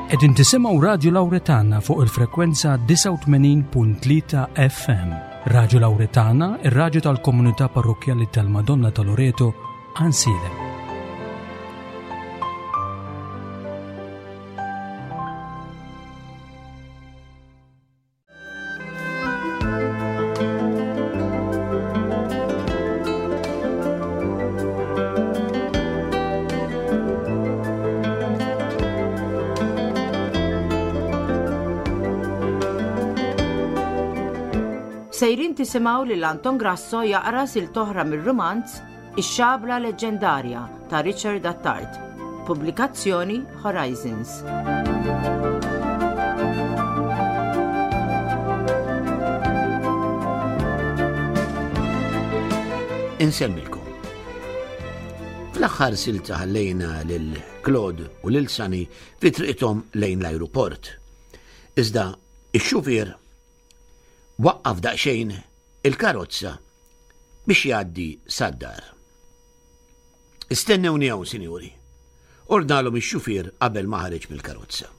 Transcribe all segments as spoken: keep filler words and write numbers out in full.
Qegħdin tisimgħu Radju Lawretana fuq il-frekwenza disgħa u tmenin punt tlieta F M. Radju Lawretana, ir-radju tal-komunità parrokkjali tal-Madonna ta' Loreto, Għajnsielem. Sejrin tisimgħu lil Anton Grasso jaqra silta oħra mir-rumanz Ix-Xabla Leġġendarja ta' Richard Attard. Pubblikazzjoni Horizons. Insellmilkom. Fl-aħħar silta ħallejna lil Claude u lil Sani fi triqithom lejn l-ajruport. Iżda ix-xufier waqqaf daqsxejn il-karozza biex jgħaddi sad-dar. "Istennewni hawn, sinjuri," ordnalhom ix-xufier qabel ma ħareġ mill-karozza.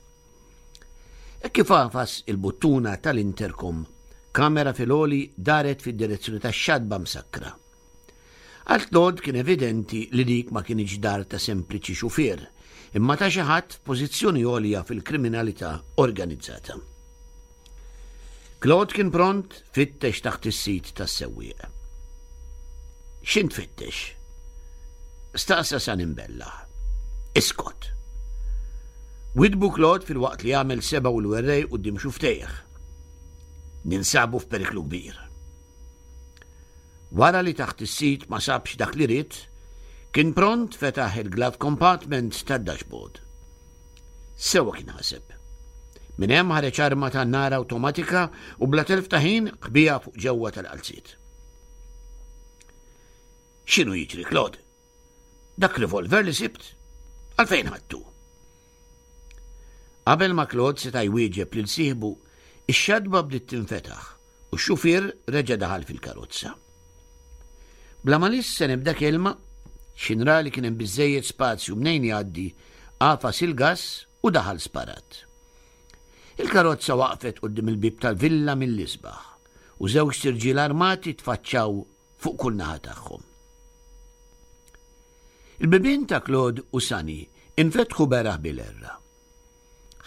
E kif għafas il-buttuna tal-intercom, kamera fil-għoli daret fid-direzzjoni tax-xatba msakkra. Għal Claude kien evidenti li dik ma kienx dar ta' sempliċi xufier, imma ta' xi ħadd f'pożizzjoni għolja fil-kriminalità organizzata. Claude kien pront fittex taħt is-seat tas-sewwieq. "X'int tfittex?" staqsa Sani mbellah. "Iskot," widdbu Claude filwaqt li għamel sebgħu l-werrej quddiem xufftejh. "Ninsabu f'periklu kbir." Wara li taħt is-seat ma sabx dak li ried, kien pront fetaħ il-glove compartment tad-dashboard. Sewwa kien ħaseb. Minn hemm ħareġ arma ta' nar awtomatika u bla telf ta' ħin ħbieha fuq ġewwa tal-qalziet. "X'inhu jiġri, Claude? Dak revolver li sibt? Għalfejn ħadtu?" Qabel ma Claude seta' jwieġeb lil sieħbu, ix-xatba bdiet tinfetaħ u x-xufier reġa' daħal fil-karozza. Bla ma lissen ebda kelma, x'ħin ra li kien hemm biżejjed spazju mnejn jgħaddi, għafas il-gas u daħal sparat. Il-karozza waqfet quddiem il-bib tal-villa mill-isbaħ u żewġ irġiel armati tfaċċaw fuq kull naħa tagħhom. Il-bibien ta' Claude u Sani infetħu beraħ bil-erra.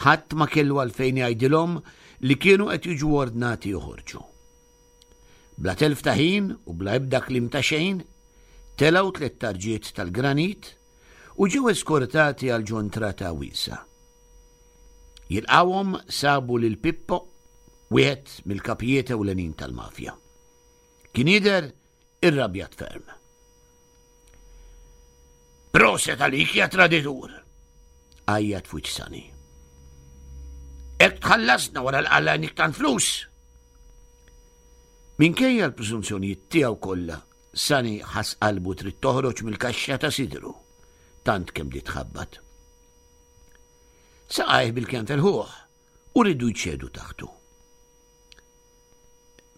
Ħadd ma kellu għalfejn jgħidilhom li kienu qed jiġu ordnati joħorġu. Bla telf ta' ħin u bla ebda kliem ta' xejn, telgħu tliet tarġiet tal-granit u ġew eskortati għal ġo ntrata wiesgħa. Jilqawhom sabu lil Pippo, wieħed mill-kapijiet ewlenin tal-mafja. Kien jidher irrabjat ferm. "Proset għalik, ja traditur!" għajjat fuq Sani. "Hekk tħallasna wara li qlajnik tant flus?" Minkejja l-preżunzjonijiet tiegħu kollha, Sani ħass qalbu trid toħroġ mill-kaxxa ta' sidru, tant kemm bdiet tħabbat. Saqajh bilkemm felħuh u riedu jċedu taħtu.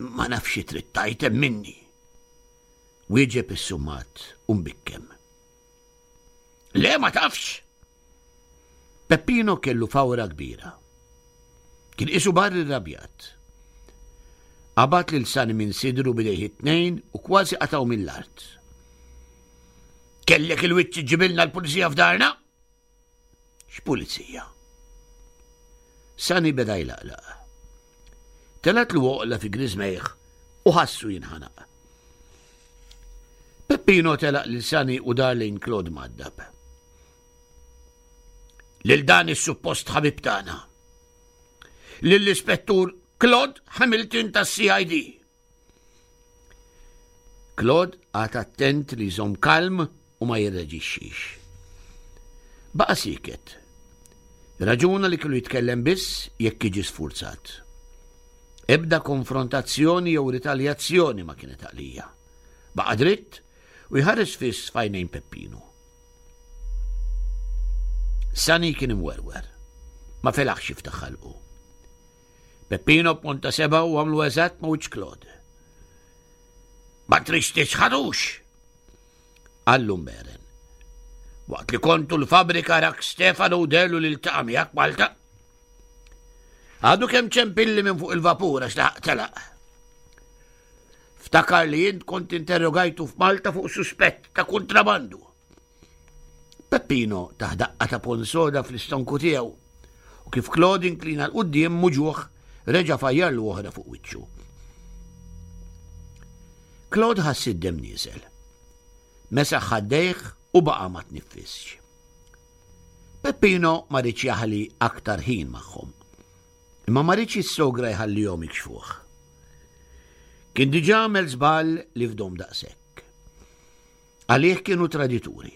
"Ma nafx trid tgħid minni," wieġeb is-summat u mbikkem. "Le, ma tafx!" Peppino kellu fawra kbira. Kien qisu barri rabjat. Qabad lil Sani minn sidru b'idejh it-tnejn u kważi qatgħu mill-art. "Kellek il-wiċċ iġġibilna l-pulizija f'darna?" "X'pulizija?" Sani beda jlaqlaq. Telgħetlu għoqla fi griżmejh u ħassu jinħanaq. Peppino telaq lil Sani u dar lejn Claude mgħaddab. "Lil dan is-suppost ħabib tagħna. Lill-ispettur Claude Hamilton tas-C I D" Claude qagħad attent li jżomm kalm u ma jirreġixxix. Baqa' sieket. Raġuna li kellu jitkellem biss jekk jiġi sfurzat. Ebda konfrontazzjoni jew ritaljazzjoni ma kienet għalija. Baqa' dritt u jħares fiss f'għajnejn Peppino. Sani kien imwerwer. Ma felaħx jiftaħ ħalqu. Peppino ponta sebgħu u għamlu eżatt ma' wiċċ Claude. "Ma tridx tiċħadux," qallu mberen. "Waqt li kontu l-fabrika rak Stefano u dehlu li ltaqa' miegħek Malta." Għadu kemm ċempilli minn fuq il-vapur għax laħaq telaq. Ftakar li jint kont interrogajtu f'Malta fuq suspett ta' kontrabandu. Peppino tah daqqa ta' ponn soda fl-istonku tiegħu u kif Claude inklina 'l quddiem muġugħ reġa' fajjarlu oħra fuq wiċċu. Claude ħass id-demm nieżel. Mesaħ ħaddejh u baqa' ma tniffisx. Peppino ma riedx jaħli aktar ħin magħhom. Imma ma riedx jissogra jħallihom jikxfuh. Kien diġà għamel żball li fdahom daqshekk. Għalih kienu tradituri.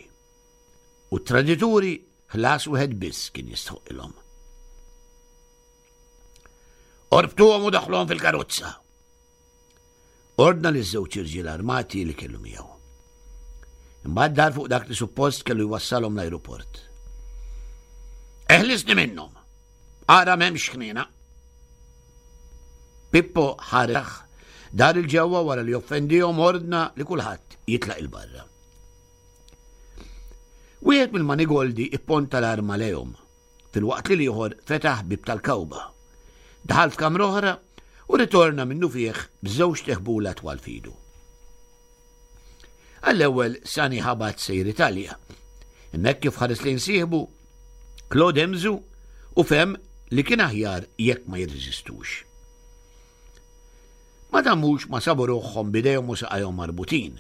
U tradituri ħlas wieħed biss kien jistħoqilhom. Orbtuhom u daħluhom fil-karozza. Ordna li żewġ irġiel armati li kellu miegħu. Imbagħad dar fuq dak li suppost kellu jwassalhom l-ajruport. Eħlisni minnhom. Ara m'hemmx ħniena. Pippo ħareħ dar il-ġewwa wara li offendihom ordna li kulħadd jitlaq il-barra. Wieħed mill-manigoldi ipponta l-arma lejhom, filwaqt li l-ieħor fetaħ bib tal-kawba. Daħal f'kamra oħra u ritorna minnu fih b'żewġt iħbula twal f'idu. Għall-ewwel Sani ħabat sejr Italja. Imma kif ħares lejn sieħbu, Claude hemżu u fehem li kien aħjar jekk ma jirreżistux. Ma damux ma sabu ruħhom b'idejhom u saqajhom marbutin.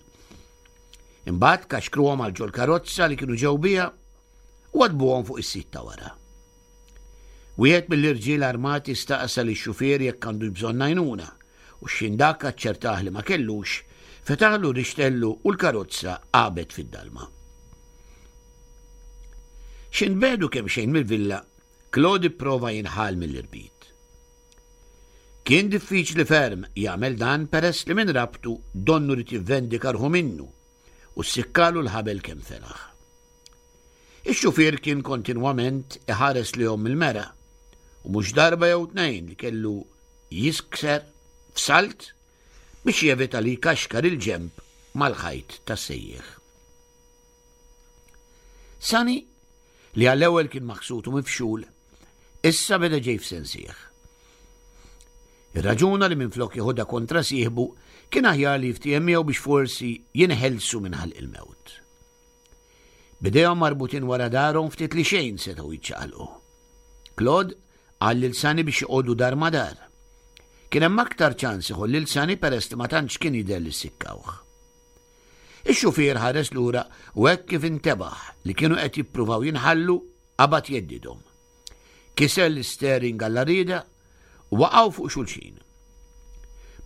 Imbagħad kaxkruhom għal ġol karozza li kienu ġew biha u għadbuhom fuq is-sit ta' wara. Wieħed mill-irġiel armati staqsa lix-xufier jekk għandu bżonn għajnuna u x'ħin dak aċċertah li ma kellux, fetaħlu rixtellu u l-karozza għabet fid-dalma. X'ħin tbiegħdu kemm xejn mill-villa, Claude prova jinħall mill-irbit. Kien diffiċli ferm jagħmel dan peress li minn rabtu donnu li tivvendika ruħu minnu u ssikkalu l-ħabel kemm felaħ. Ix-xufier kien kontinwament iħares lejhom mill-mera u mhux darba jew tnejn li kellu jiskser f'salt biex jevita li jkaxkar il-ġemp mal-ħajt tas-sejjieħ. Sani, li għall-ewwel kien maħsut u mifxul, issa beda ġej f'sensih. Ir-raġuna li minflok jeħodha kontra sieħbu kien aħjar li jiftiehem miegħu biex forsi jinħelsu minn ħalq il-mewt. B'idejhom marbutin wara darhom ftit li xejn setgħu jiċċaqalqu. Claude qal lil Sani biex joqogħdu dar ma' dar. Kien hemm aktar ċans iħoll lil Sani peress li ma tantx kien jidher li sikkawh. Ix-xufier ħares lura u hekk kif intebaħ li kienu qed jippruvaw jinħallu qabad jgħeddidhom. Kiser l-istering għall-arida u waqgħu fuq xulxin.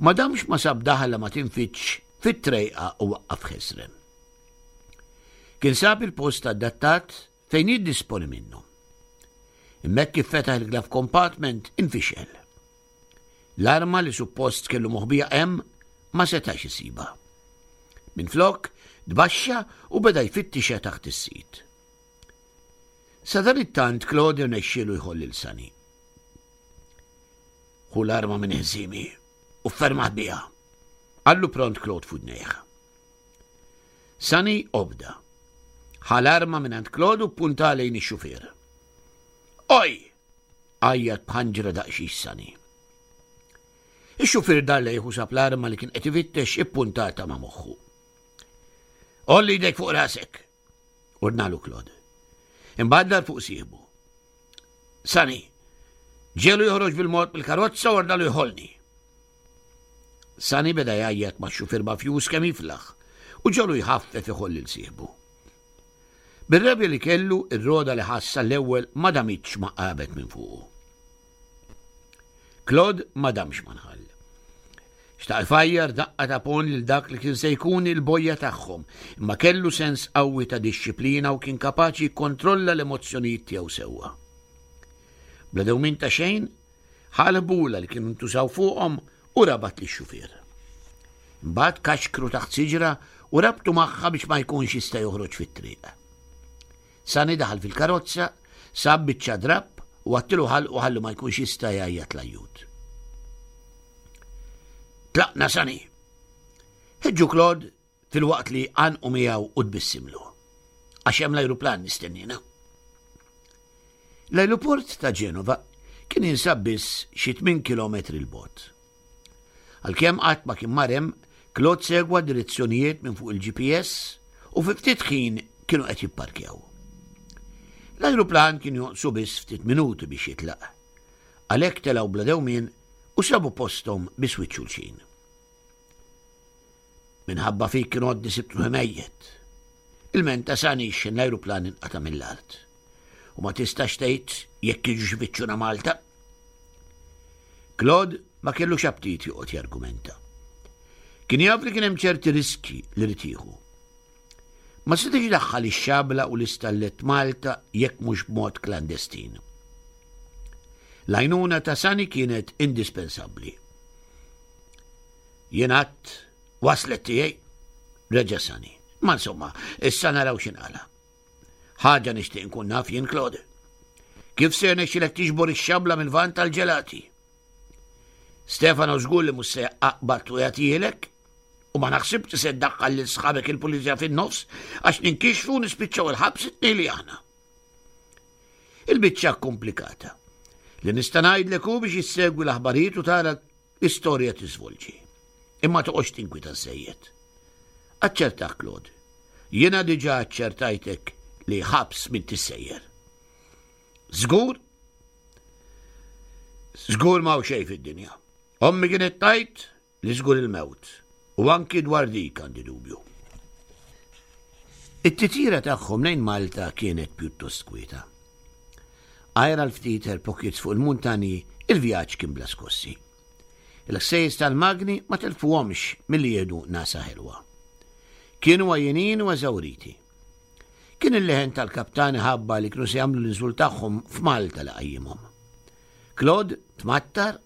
Ma damx ma sab daħla ma tinfitx fit-trejqa u waqqaf ħesrem. Kien sab il-post adattat fejn jiddisponi minnu. Imma kif fetaħ il-glove compartment infixel. L-arma li suppost kellu moħbija hemm ma setax isibha. Minflok, tbaxxa u beda jfittixa taħt is-sit. Sadanittant Claude rnexxielu jħoll lil Sani. Ħu l-arma minn ħżimi u ffermaħ biha. Qallu pront Claude f'widnejh. Sani obda. Ħa l-arma minn għand Claude u punta lejn ix-xufier. Oj! Għajjat b'ħanġra daqsxiex Sani. Ix-xufier dar lejh u sab l-arma li kien qed ifittex ippuntata ma' moħħu. Għolli jdejk fuq rasek, ordnalu Claude. Imbagħad dar fuq sieħbu. Sani, ġiegħlu joħroġ bil-mod mill-karozza u ordnalu jħollni. Sani beda jgħajjat ma' xufier mafjuż kemm jiflaħ u ġiegħlu jħaffef iħoll lil sieħbu. Bir-rabja li kellu, ir-roda li ħassa l-ewwel ma damitx ma qabet minn fuqu. Claude ma damx ma nħall. Xtaq ifajjar daqqa ta' ponn lil dak li kien se jkun il-bojja tagħhom, imma kellu sens qawwi ta' dixxiplina u kien kapaċi jikkontrolla l-emozzjonijiet tiegħu sewwa. Bla dewmien ta' xejn, ħa l-ħbula li kienu ntużaw fuqhom u rabat lix-xufier. Imbagħad kaxkru taħt siġra u rabtu magħha biex ma jkunx jista' joħroġ fit-triq. Sani daħal fil-karozza, sab biċċa drapp u għattilu ħalqu ħallu ma jkunx jista' jgħajjat l-ajjut. Tlaqna Sani. Ħeġġu Claude filwaqt li għanqu miegħu u tbissimlu. Għax hemm l-ajruplan nistennina. L-ajruport ta' Ġenova kien jinsab biss xi tmien kilometri 'l bogħod. Għalkemm qatt ma kien mar hemm, Claude segwa direzzjonijiet minn fuq il-G P S u fi ftit ħin kienu qed jipparkjaw. L-ajruplan kien jonqsu biss ftit minuti biex jitlaq. Għalhekk telgħu bla dewmien u sabu posthom biswit xulxin. "Minħabba fik kien għodni sibt ruħi mejjet," ilmenta Sani x'ħin l-ajruplan inqata' mill-art. "U ma tistax tgħid jekk jiġux ifittxuna Malta." Claude ma kellux aptit joqgħod jargumenta. Kien jaf li kien hemm ċerti riski li ried jieħu. Ma setax idaħħal ix-xabla u l-istallet Malta jekk mhux b'mod klandestin. L-għajnuna ta' Sani kienet indispensabbli. "Jien għedt waslet tiegħi," reġa' Sani. "Ma insomma, issa naraw x'inqala'. Ħaġa nixtieq nkun naf jien, Claude. Kif se jirnexxilek tiġbor ix-xabla mill-van tal-ġelati? Stefano żgur li mhux se jaqbad u jagħtihielek, u ma naħsibx se ddaħħal lil sħabek il-pulizija fin-nofs għax ninkixfu nispiċċaw il-ħabs it-tnejn li aħna. Il-biċċa komplikata. Li nista' ngħidlek hu biex issegwi l-aħbarijiet u tara l-istorja tiżvolġi. Imma toqgħodx tinkwita żejjed. Aċċertak, Claude. Jiena diġà aċċertajtek li ħabs m'intix sejjer. Żgur? Żgur m'hawn xejn fid-dinja. Ommi kienet tgħid li żgur il-mewt. U anki dwar dik għandi dubju." It-titjira tagħhom lejn Malta kienet pjuttost kwieta. Għajr għal ftit air pockets fuq il-muntani, il-vjaġġ kien bla skossi. Il-ħsejjes tal-magni ma telfuhomx milli jieħdu nagħsa ħelwa. Kienu għajjenin u eżawriti. Kien il-leħen tal-kaptan iħabbar li kienu se jagħmlu l-inżul tagħhom f'Malta li qajjimhom. Claude tmattar,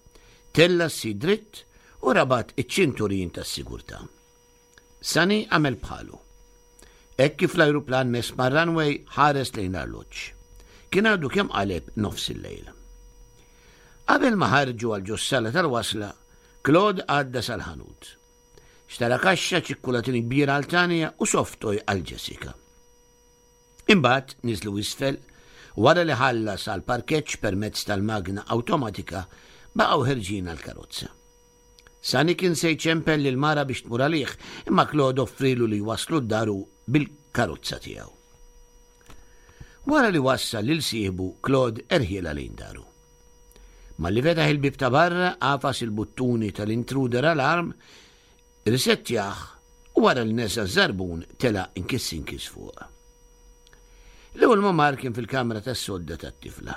tella' s-seat dritt u rabat iċ-ċinturin tas-sigurtà. Sani għamel bħalu. Hekk kif l-ajruplan mess mar-runway, ħares lejn l-arloġġ. Kien għadu kemm qaleb nofs il-lejl. Qabel ma ħarġu għal ġos-sala tal-wasla, Claude għadda sal-ħanut. Xtara kaxxa ċikkulatini kbira għal Tanja u soft toy għal Jessica. Imbagħad niżlu isfel, wara li ħallas għal parkeġġ permezz tal-magna awtomatika, baqgħu ħerġin għal karozza. Sani kien se jċempel lil mara biex tmur għalih, imma Claude offrilu li jwasslu d-dar hu bil-karozza tiegħu. Wara li wassal lil sieħbu, Claude erħielha lejn daru. Malli fetaħ il-bib ta' barra, għafas il-buttuni tal-intruder alarm, risettjah u wara li neża' ż-żarbun tela' inkiss inkiss fuq. L-ewwel ma mar kien fil-kamra tas-sodda tat-tifla.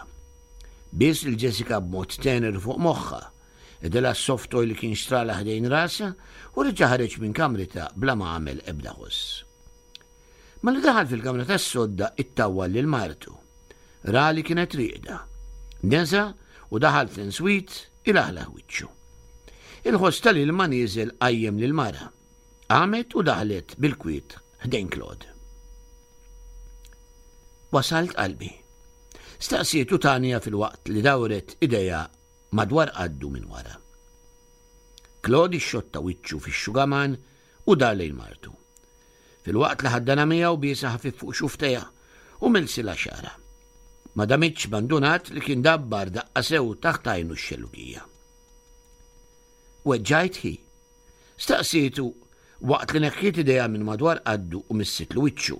Bies lil Jessica b'mod tener fuq moħħha, għeddilha s-soft toy li kien xtrala ħdejn rasha u reġa' ħareġ minn kamritha bla ma għamel ebda ħoss. Malli daħal fil-kamra tas-sodda, ittawwal lil martu. Ra li kienet rieqda. Neża' u daħal fl-ensuite ilaħlaħ wiċċu. Il-ħoss tal-ilma nieżel qajjem lil mara. Qamet u daħlet bil-kwiet ħdejn Claude. "Wasalt, qalbi?" staqsietu Tanja filwaqt li dawret idejha madwar qaddu minn wara. Claude xotta wiċċu fix-xugaman u dar lejn martu. Filwaqt li ħaddanha miegħu, biesha ħafif fuq xufftejha u milsilha xagħarha. Ma damitx ma ndunat li kien dabbar daqqa sew taħt għajnu x-xellugija. "Weġġajt, ħi?" staqsietu waqt li neħħiet idejha minn madwar qaddu u missitlu wiċċu.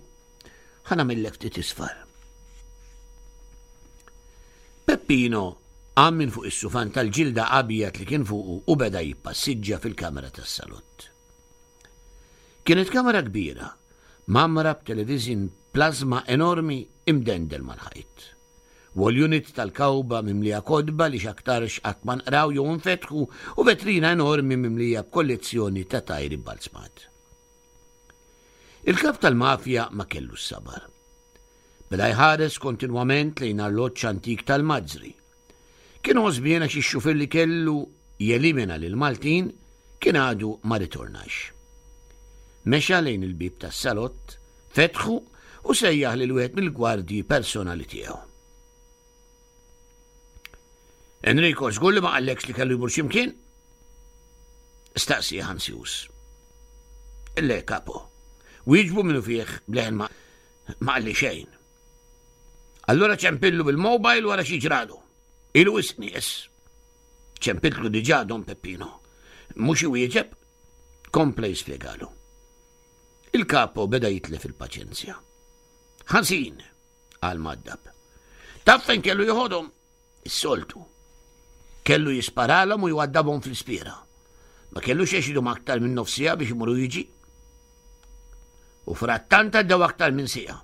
"Ħa nagħmillek ftit isfar." Peppino qam minn fuq is-sufan tal-ġilda abjad li kien fuqu u beda jippassiġġa fil-kamera tas-salott. Kienet kamera kbira, mgħammra b'television plasma enormi imdendel mal-ħajt. Wall unit tal-kawba mimlija kotba li x'aktarx qatt ma nqraw jew infetħu u vetrina enormi mimlija b'kollezzjoni ta' tajri balzmat. Il-kap tal-mafja ma kellu s-sabar. Beda jħares kontinwament lejn arloġġ antik tal-mazzri. Kien għożbien għax ix-xufier li kellu jelimina lil Maltin kien għadu ma ritornax. Mexa lejn il-bib tas-salott, fetħu u sejjaħ lil wieħed mill-gwardji personali tiegħu. "Enrico, żgur li ma qallekx li kellu jmur x'imkien?" staqsieh ansjuż. "Le, capo," wieġbu minnufih b'leħen ma ma qalli xejn." "Allura ċempillu bil-mobile wara x'jiġralu." Ilu wisq nies. Ċempiltlu diġà Don Peppino. Mhux iwieġeb, kompla jispjegalu. Il-kapo beda jitlef il-paċenzja. Ħażin, qal mgħaddab. Taf fejn kellu joħodhom? Is-soltu. Kellu jisparalhom u jwaddabhom fl-ispiera. Ma kellux għax idum aktar minn nofs siegħa biex imur u jiġi. U frattant għaddew aktar minn siegħa.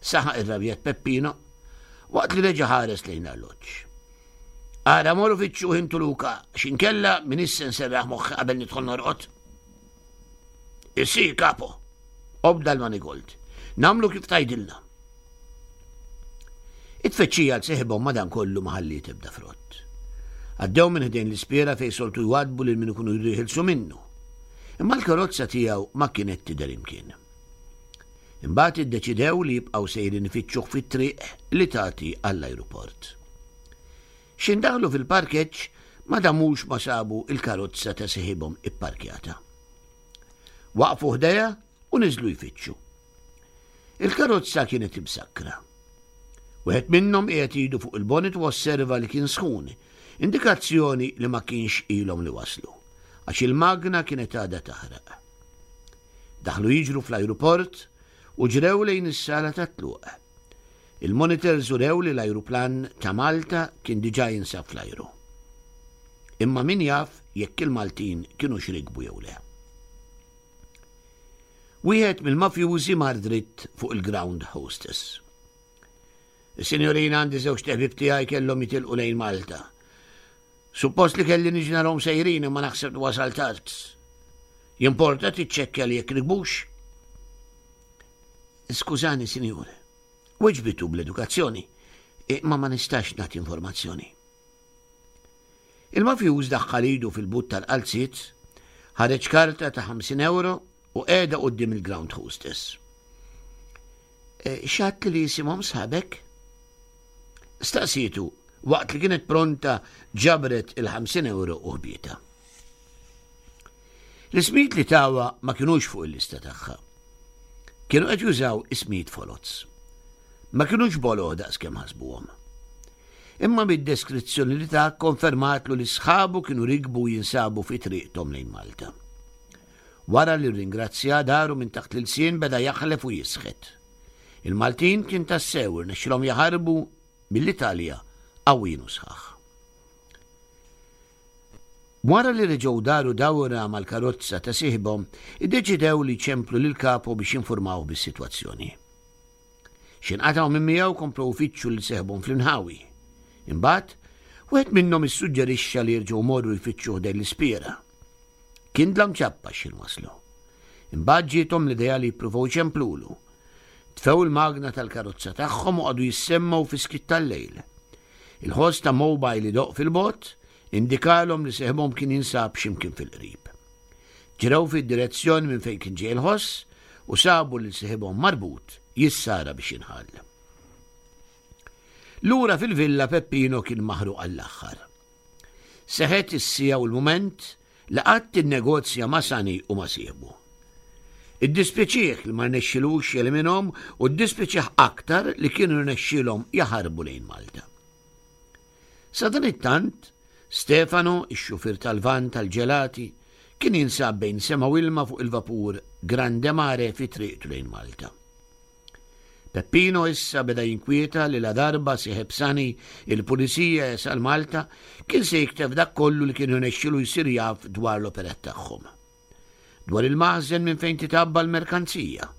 Saħaq irrabjat Peppino waqt li reġa' ħares lejn l-arloġġ. Ara morru fittxuh intu Luca, x'inkella m'iniex se nserraħ moħħi qabel nidħol norqod. Issi, kapo, obda l-manigold. Nagħmlu kif tgħidilna. It-tfittxija għal seħibhom madankollu ma ħalliet ebda frott. Għaddew minn ħdejn l-ispiera fejn soltu jwadbu lil min ikunu jridu jeħilsu minnu. Imma l-karozza tiegħu ma kienet tidher imkien. Imbagħad iddeċidew li jibqgħu sejrin ifittxuh fit-triq li tagħti għall-ajruport. X'ħin daħlu fil-parkeġġ ma damux ma sabu il-karozza ta' seħibhom ipparkjata. Waqfu ħdejha u niżlu jfittxu. Il-karozza kienet imsakkra. Wieħed minnhom qiegħed idu fuq il-bonnet u osserva li kien sħun, indikazzjoni li ma kienx ilhom li waslu, għax il-magna kienet għadha taħraq. Daħlu jiġru fl-ajruport u ġrew lejn is-sala tat-tluq. Il-monitors urew li l-ajruplan ta' Malta kien diġà jinsab fl-ajru. Imma min jaf jekk il-Maltin kinux rikbu jew le. Wieħed mill-mafjużi mar dritt fuq il-ground hostess. Is-sinjorina għandi żewġ ħbieb tiegħi kellhom jitilqu lejn Malta. Suppost li kelli niġi narahom sejrin imma naħseb li wasal tard. Jimporta tiċċekkja li jekk rikbux? Skużani, sinjur. Weġbitu bl-edukazzjoni, imma ma nistax nagħti informazzjoni. Il-mafjuż daħħal idu fil-but tal-qalziet, ħareġ karta ta' ħamsin euro u qiegħda quddiem il-ground hostess. E, x'għedt li jisimhom sħabek? Staqsietu waqt li kienet pronta ġabret il-ħamsin euro u ħbietha. L-ismijiet li tawha ma kinux fuq il-lista tagħha. Kienu qed jużaw ismijiet foloz. Ma kinux boloh daqs kemm ħasbuhom. Imma mid-deskrizzjoni li ta konfermatlu li sħabu kienu rikbu jinsabu fi triqthom lejn Malta. Wara li ringrazzja daru minn taħt l-ilsien beda jaħlef u jisħet. Il-Maltin kien tassew irnexxilhom jaħarbu mill-Italja qawwin u sħaħ. Wara li reġgħu daru dawra mal-karozza ta' sieħbhom, iddeċidew li ċemplu lil kapo biex jinformaw bis-sitwazzjoni. X'inqatgħu minn miegħu komplew ifittxu lil seħbhom fl-inħawi. Imbagħad, wieħed minnhom issuġġerixxa li jerġgħu morru jfittxu ħdejn l-ispiera. Kien dlam ċappa x'ħin waslu. Imbagħad ġiethom l-idea li jippruvaw iċemplulu. Tfew il-magna tal-karozza tagħhom u qagħdu jissemmgħu fis-skiet tal-lejl. Il-ħoss ta' mobile idoqq fil-bogħod indikalhom li seħbhom kien jinsab x'imkien fil-qrib. Ġrew fid-direzzjoni minn fejn kien ġej il-ħoss u sabu lil seħibhom marbut jissara biex jinħall. Lura fil-villa Peppino kien maħruq għall-aħħar. Seħet is-siegħa u l-mument li qatt innegozja ma' Sani u ma' sieħbu. Iddispjaċih li ma rnexxilux jeliminhom u ddispjaċih aktar li kienu rnexxilhom jaħarbu lejn Malta. Sadanittant, Stefano, ix-xufier tal-van tal-ġelati, kien jinsab bejn sema u ilma fuq il-vapur Grande Mare fi triqtu lejn Malta. Peppino issa beda jinkwieta li la darba sieħeb Sani il-pulizija jasal Malta kien se jiktef dak kollu li kien irnexxilu jsir jaf dwar l-operat tagħhom. Dwar il-maħżen minn fejn titabba l-merkanzija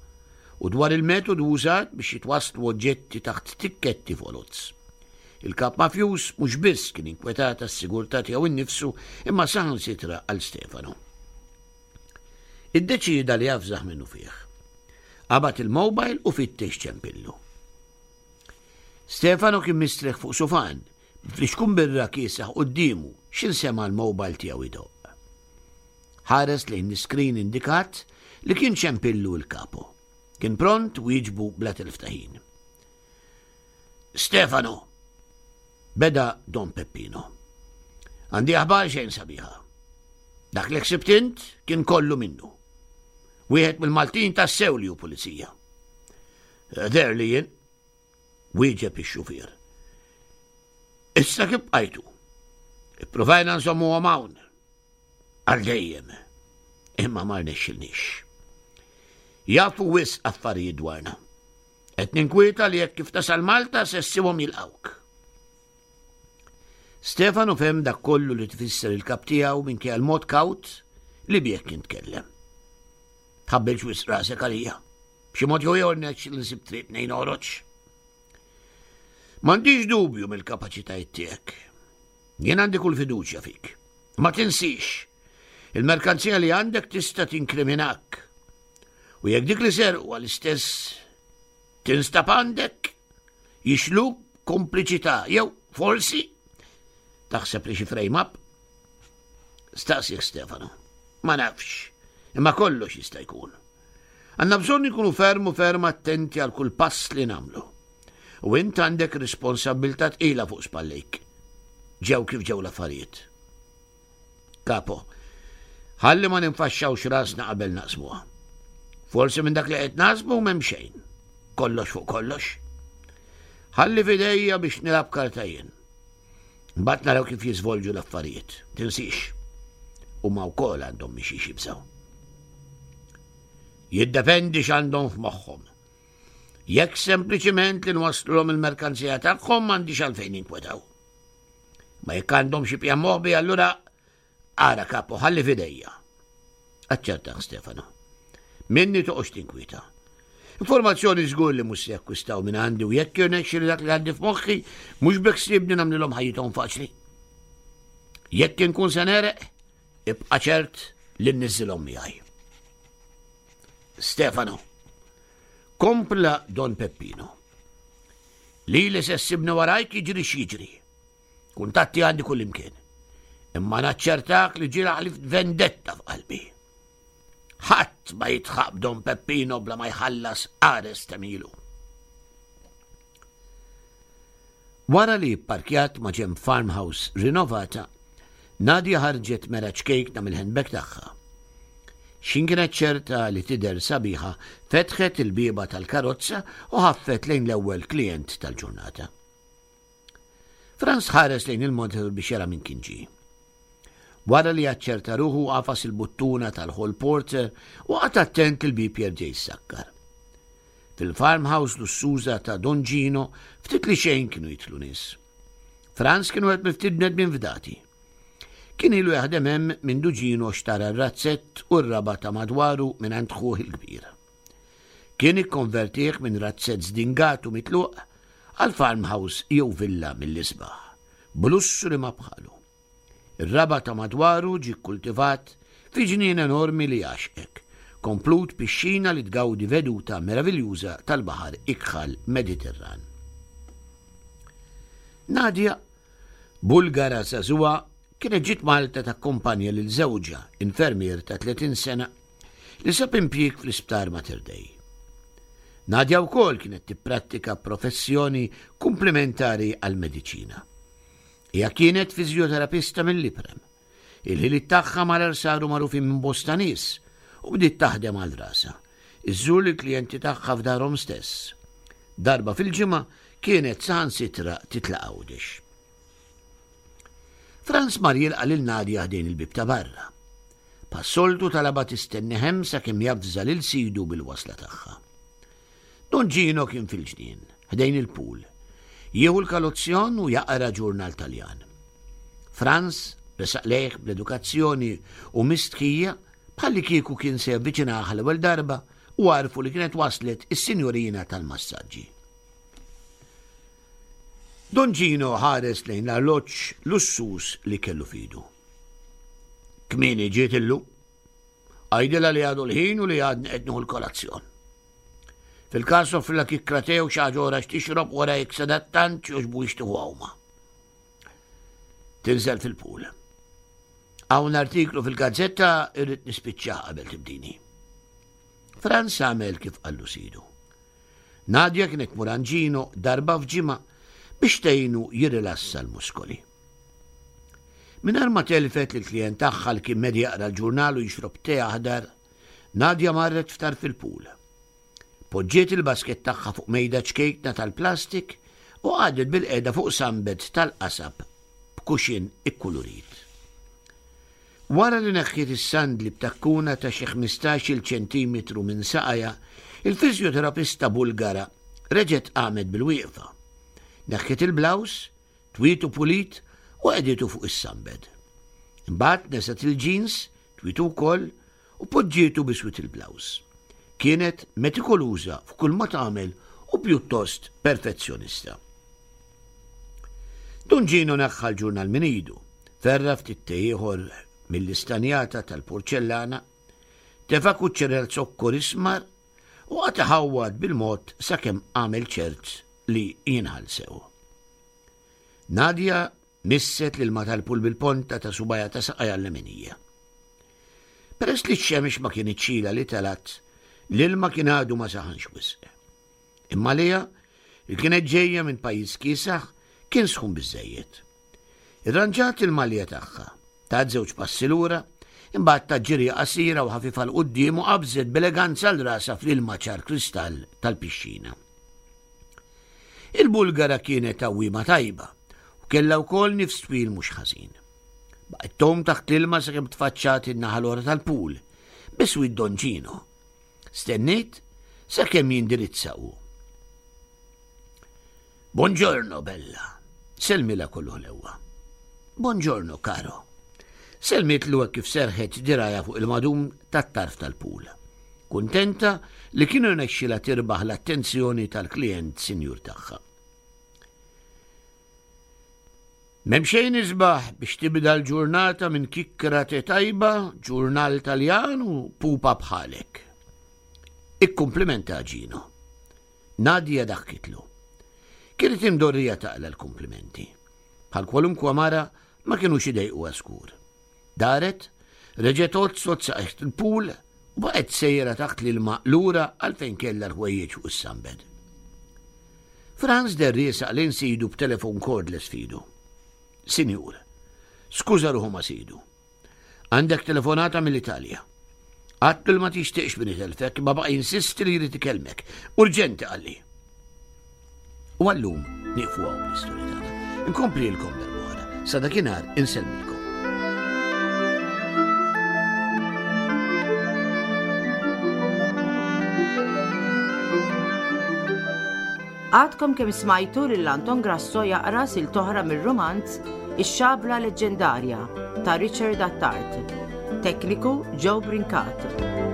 u dwar il-metodu użat biex jitwasslu oġġetti taħt tikketti foloz. Il-kap mafjuż mhux biss kien inkwetat għas-sigurtà tiegħu innifsu imma saħansitra għal Stefano. Iddeċieda li jafżaħ minnu fih. Qabad il-mobile u fittex ċempillu. Stefano kien mistrieħ fuq sufan, b'flixkun birra kiesaħ quddiemu x'ħin sema' l-mobile tiegħu idoqq. Ħares lejn l-iskrin indikat li kien ċempillu l-kapo. Kien pront wieġbu bla telf ta' ħin. Stefano, beda Don Peppino. Għandi aħbar xejn sabiħa. Dak li ħsibt int kien kollu minnu. Wieħed mill-Maltin tassew li hu pulizija. Der li jien, wieġeb ix-xufier. Issa kif bqajtu? Ippruvajna nżommuhom hawn. Għal dejjem. Imma ma rnexxilniex. Jafu wisq affarijiet dwarna. Qed ninkwieta li jekk kif tasal Malta se ssibhom jilqgħuk. Stefano fehem dak kollu li tfisser il-kap tiegħu minkejja l-mod kawt li bih kien tkellem. Tħabbilx wisq rasek għalija. B'xi mod jew ieħor nexxi nsib triq mnejn noħroġ. M'għandix dubju mill-kapaċitajiet tiegħek. Jien għandi kull fiduċja fik. Ma tinsix, il-merkanzija li għandek tista' tinkriminak. U jekk dik li serqu għall-istess tinstab għandek, jixluk kompliċità jew forsi taħseb li xi frame up? Staqsih Stefano. Ma nafx, imma kollox jista' jkun. Għandna bżonn ikunu ferm u ferm attenti għal kull pass li nagħmlu. U int għandek responsabbiltà tqila fuq spallejk. Ġew kif ġew l-affarijiet. Kapo, ħalli ma ninfaxxawx rasna qabel naqsmuha. Forsi minn dak li qed naħsbu m'hemm xejn. Kollox fuq kollox. Ħalli f'idejja biex nilgħab karta jien. Mbagħad naraw kif jiżvolġu l-affarijiet. Tinsix. Huma wkoll għandhom minn xiex jibżgħu. Jiddependi x'għandhom f'moħħhom. Jekk sempliċiment li nwasslulhom il-merkanzija tagħhom, m'għandix għalfejn jinkwetaw. Ma jekk għandhom xi pjan moħbi, allura ara, kapo, ħalli f'idejja. Aċċertah Stefano. Minni toqgħodx tinkwieta. Informazzjoni żgur li mhux se jakkwistaw minn għandi u jekk jirnexxi dak li għandi f'moħħi, mhux beħsiebni nagħmlilhom ħajjithom faċli. Jekk inkun se negħreq, ibqa' ċert li nniżżilhom miegħi. Stefano, kompla Don Peppino. Li li se ssibni warajk jiġri x'jiġri. Kuntatti għandi kull imkien. Imma naċċertak li ġieli ħlift vendetta f'qalbi. Ħadd ma jidħaq b'Don Peppino bla ma jħallas qares t'għemilu. Wara li pparkjat ma' ġenb farmhouse rinnovata, Nadia ħarġet mera ċkejkna mill-handbag tagħha. X'ħin kienet ċerta li tidher sabiħa, fetħet il-bieba tal-karozza u ħaffet lejn l-ewwel klient tal-ġurnata. Franz ħares lejn il-monitor biex jara min kien ġie. Wara li aċċerta ruħu, għafas il-buttuna tal-hall porter u qagħad attent il-bieb jerġa' jissakkar. Fil-farmhouse lussuża ta' Don Gino ftit li xejn kienu jidħlu nies. Franz kien wieħed mill-ftit bnedmin fdati. Kien ilu jaħdem hemm minn Gino xtara r-razzett u r-raba' ta' madwaru minn għand ħuh il-kbir. Kien ikkonvertih minn razzett żdingat u mitluq għal farmhouse jew villa mill-isbaħ, b'lussu li ma bħalu. Ir-raba' ta' madwaru ġie kkultivat fi ġnien enormi li jgħaxqek, komplut pixxina li tgawdi veduta meraviljuża tal-baħar ikħal Mediterran. Nadia, Bulgara żagħżugħa, kienet ġiet Malta takkumpanja lil żewġha, infermier ta' tletin sena, li sab impjieg fl-isptar Mater Dei. Nadia wkoll kienet tipprattika professjoni komplementari għall-mediċina. Hija kienet fiżjoterapista mill-iprem. Il-ħiliet tagħha malajr saru magħrufin minn bosta nies u bdiet taħdem għal rasha, iżżur lill-klijenti tagħha f'darhom stess. Darba fil-ġimgħa kienet saħansitra titla' Għawdex. Franz mar jilqa' lil Nadia ħdejn il-bieb ta' barra. Bħas-soltu talabha tistenni hemm sakemm javża lil sidu bil-wasla tagħha. Don Gino kien fil-ġnien, ħdejn il-pool, jieħu l-kalozzjon u jaqra ġurnal Taljan. Franz resaq lejh bl-edukazzjoni u mistħija bħalli kieku kien se javviċinaha l-ewwel darba u għarfu li kienet waslet is-sinjorina tal-massaġġi. Don Gino ħares lejn l-arloġġ lussuż li kellu f'idu. Kmieni ġiet illum. Għidilha li għadu l-ħin u li għadni qed nieħu l-kolazzjon. Fil-każ offrilha kikkra te u xi ħaġa oħra x'tixrob wara jekk sadattant jogħġbu jixtiequ għawma. Tinżel fil-pool. Hawn artiklu fil-gazzetta irrid nispiċċah qabel tibdini. Franz għamel kif qallu sidu. Nadia kienet tmur għand Gino darba f'ġimgħa biex tgħinu jirrilassa l-muskoli. Mingħajr ma telfet lill-klijent tagħha li kien medi jaqra l-ġurnal u jixrob te aħdar, Nadia marret f'tarf il-pool. Poġġiet il-basket tagħha fuq mejda ċkejkna tal-plastik u qagħdet bilqiegħda fuq sunbed tal-qasab b'kuxin ikkulurit. Wara li neħħiet is-sandli b'takkuna ta' xi ħmistax-il ċentimetru minn saqajha, il-fiżjoterapista Bulgara reġgħet qamet bil-wieqfa. Neħħiet il-blouse, twietu pulit u qegħditu fuq is-sunbed. Imbagħad neżgħet il-jeans, twietu wkoll u poġġietu biswit il-blouse. Kienet metikoluża f'kull ma tagħmel u pjuttost perfezzjonista. Dun Gino neħħa l-ġurnal minn idu, ferra ftit te ieħor mill-istanjata tal-porċellana, tefa' kuċċerel zokkor ismar u qagħad iħawwad bil-mod sakemm għamel ċert li jinħall sew. Nadia misset l-ilma tal-pool bil-ponta ta' subgħajha ta' saqajha l-leminija. Peress li x-xemx ma kinitx ilha li telgħet, l-ilma kien għadu ma saħanx wisq. Imma għaliha, li kienet ġejja minn pajjiż kiesaħ, kien sħun biżżejjed. Irranġat il-malja tagħha, tat żewġ passi lura, imbagħad tat ġirja qasira u ħafifa 'l quddiem u qabżet b'eleganza 'l rasha fl-ilma ċar kristall tal-pixxina. Il-Bulgara kienet għawwiema tajba u kellha wkoll nifs twil mhux ħażin. Baqgħet tgħum taħt l-ilma sakemm tfaċċat in-naħa l-oħra tal-pool, biswit Don Gino. Stenniet sakemm jindirizza hu. Buongiorno, bella. Sellmilha kollu ħlewwa. Buongiorno, caro. Sellmitlu kif serħet dirgħajha fuq il-madum tat-tarf tal-pool. Kuntenta li kienu rnexxilha tirbaħ l-attenzjoni tal-klient sinjur tagħha. M'hemm xejn isbaħ biex tibda l-ġurnata minn kikkra te tajba, ġurnal Taljan u pupa bħalek. Ikkumplimenta Gino. Nadia daħkitlu. Kienet imdorrija taqla l-kumplimenti. Bħal kwalunkwa mara ma kinux idejquha żgur. Daret, reġgħet għodsot saqajh il-pool u baqgħet sejra taħt l-ilma lura għal fejn kellha l-ħwejjeġ fuq is-sunbed. Franz deher riesaq lejn sidu b'telefon cordless f'idu. Sinjur, skuża ruħu ma' sidu. Għandek telefonata mill-Italja. Għattu ma tixtieqx min itelfek, ma baqa' jinsisti li jrid ikellmek. Urġenti qalli. U għallum nieqfu hawn bl-istorja tagħna. Inkomplilkom darb'oħra. Sa dakinhar insellmilkom. Għadkom kemm smajtu lil Anton Grasso jaqra silta oħra mir-rumanz Ix-Xabla Leġġendarja ta' Richard Attard. Tekniku Joe Brincat.